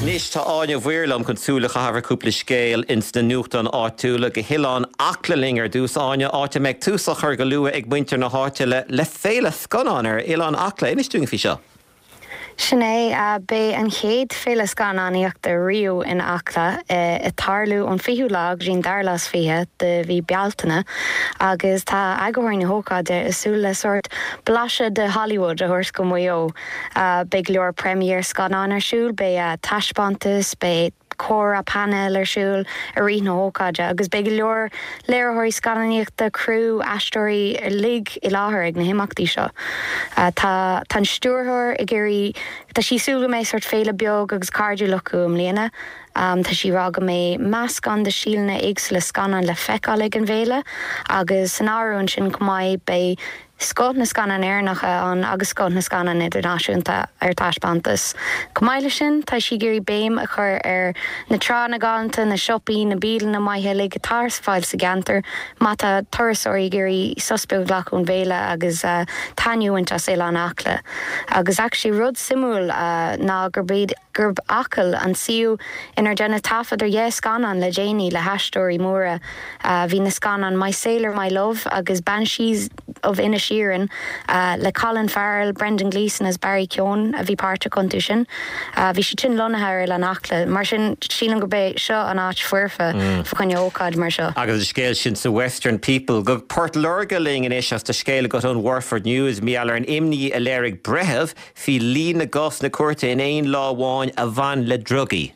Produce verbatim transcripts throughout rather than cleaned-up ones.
Anois tá Áine Mhaoir liom chun súil a chaitheamh ar cúpla scéal ins na nuachtáin áitiúla go hOileán Acla linn ar dtús Áine áit a mbeidh tús á chur go luath ag muintir na háite le le féile scannán ar Oileán Acla inis dúinn faoi seo. Sin é beidh an chéad féile scannánaíochta riamh in Acla ag tarlú ón fichiú lá go dtí an dara lá is fiche de mhí Bealtaine agus tá eagraithe na hócáide ag súil le sórt blaiseadh de Hollywood a thabhairt go Maigh Eo. Beidh go leor premiere scannán ar siúl, beidh taispeántas, beidh comhrá painéil ar siúl i rith na hócáide agus beidh go leor léiritheoirí scannánaíochta criú aisteoirí uilig i láthair ag na himeachtaí seo. Tá tá an stiúrthóir ag iarraidh tá sí ag súil go mbeidh sórt féile beag agus cairdiúil acu i mbliana. Um, tá sí ag rá go mbeidh meascán de stíleanna éagsúla scannán le feiceáil ag an bhféile agus san áireamh ansin go mbeidh beidh scoth na scannán Éireannacha ann agus scoth na scannán idirnáisiúnta ar taispeántas. Chomh maith leis sin tá sí ag iarraidh béim a chur ar na tránna galánta na siopaí na bialanna maithe uilig atá ar fáil sa gceantar, má tá turasóirí ag iarraidh sos beag a ghlacadh ón bhféile agus uh, taitneamh as Oileán Acla. Agus actually rud suimiúil uh, ná gurb iad gurb Acaill an suíomh inar déanadh taifead ar dhá scannán le déanaí le haisteoirí móra uh, bhí na scannáin My Sailor My Love agus Banshees of Inisherin uh, le Colin Farrell, Brendan Gleeson is Barry Keoghan a bhí páirteach iontu sin. Uh, bhí siad sin lonnaithe ar Oileán Acla, mar sin sílim gurb é seo an áit foirfe mm. fá choinne ócáid mar seo. Agus an scéal sin sa Western People go Port Láirge linn anois as tá scéal agat ón Waterford News mar gheall ar an imní a léirigh breitheamh faoi líon na gcásanna cúirte in aon lá amháin a bhain le drugaí.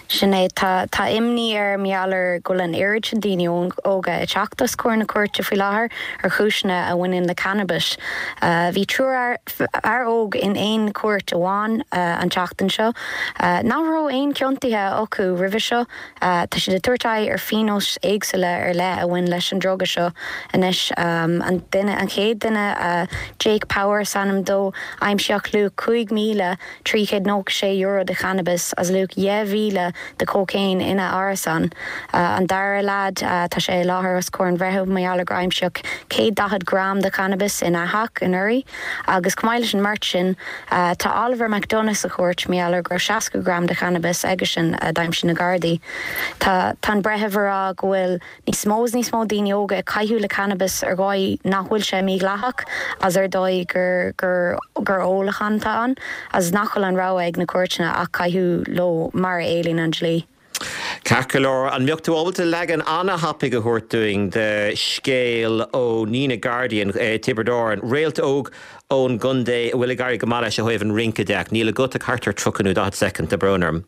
Sin é tá tá imní air mar gheall ar go bhfuil an oiread sin daoine óga ag teacht os comhair na cúirte faoi láthair ar chúiseanna a bhaineann le cannabis. Uh, bhí triúr fear óg in aon cúirt amháin uh, an tseachtain seo. Uh, nach raibh aon ciontuithe acu roimhe seo uh, tá siad ag tabhairt aghaidh ar phionóis éagsúla ar leith a bhain leis an druga seo anois um, an duine an chéad duine uh, Jake Power is ainm dó aimsíodh luach cúig míle trí chéad nócha sé euro de channabis agus luach dhá mhíle de cocaine ina árasán. Uh, an dara lad uh, tá sé i láthair os comhair an bhreithimh mar gheall gur aimsíodh céad daichead gram de cannabis ina theach anuraidh, agus chomh maith leis an mbeirt sin uh, tá Oliver McDonough sa chúirt mar gheall gur seachtó gram de cannabis aigesean uh, d'aimsigh na Gardaí. Tá tá an breitheamh ag rá go bhfuil níos mó níos mó daoine óga ag caitheamh le cannabis ar dhóigh nach bhfuil sé mídhleathach as ar dóigh gur gur gur ólachán atá ann, as nach bhfuil an rogha ag na cúirteanna ach caitheamh leo mar a éilíonn an dlí. Ceart go leor an mbeadh tú ábalta leagan an-thapaidh a thabhairt dúinn de scéal ó Nenagh Guardian eh, Tiobraid Árann, réalt óg ón gcontae a bhfuil ag éirí go maith leis ó thaobh an rince de níl agat ach thart ar tríocha nó daichead soicind tá brón orm.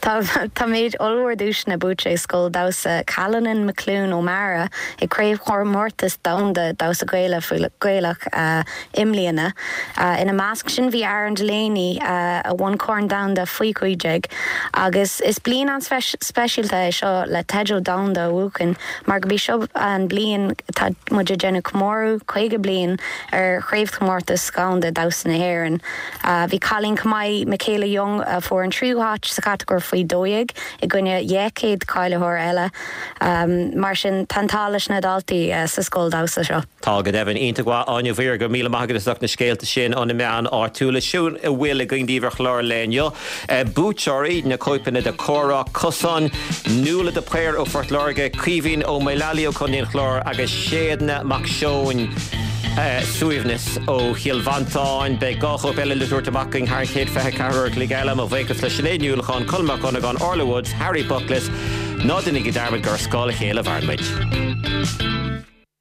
Tá Tá méid ollmhór duaiseanna buaite ag scoil damhsa Callanan McClune O'Mara ag craobhchomórtas domhanda damhsa Gaela Gaelach uh, i mbliana. Uh, ina measc sin bhí Aaron Delaney uh, a bhuaigh corn domhanda faoi cúig déag agus is bliain an speisialta é seo le teideal domhanda a bhuachan mar gurb í seo an bliain tá muid ag déanamh comóradh caoga bliain ar chraobhchomórtas domhanda damhsa na hÉireann. Uh, bhí cailín maith Michaela Young a fuair an tríú háit sa chatagóir faoi dó dhéag i gcoinne dhá chéad cáilitheoir eile um, mar sin tá an t-ádh leis na daltaí uh, sa scoil damhsa seo. Tá go deimhin iontach Áine Mhaoir go míle maith agat as na scéalta sin ó na meáin áitiúla sin a bhfuil againn daoibh ar chlár lae inniu. Buaiteoirí na cóipeanna de Comhrá Cosáin, Nuala de Paor ó Phort Láirge, Caoimhín Ó Maolalai ó Chontae an Chláir agus Séadna Mac Seoin. Uh, suaimhneas ó Chill Mhantáin beidh dhá chóip eile le tabhairt amach thar chéad fiche ceathair le eile mo bhuíochas le Sinéad Ní Uallacháin Colm Mac Dhonnagáin Orla Woods, Harry Buckles, ná déanaigí dearmad gur scáil a chéile a mhaireann muid.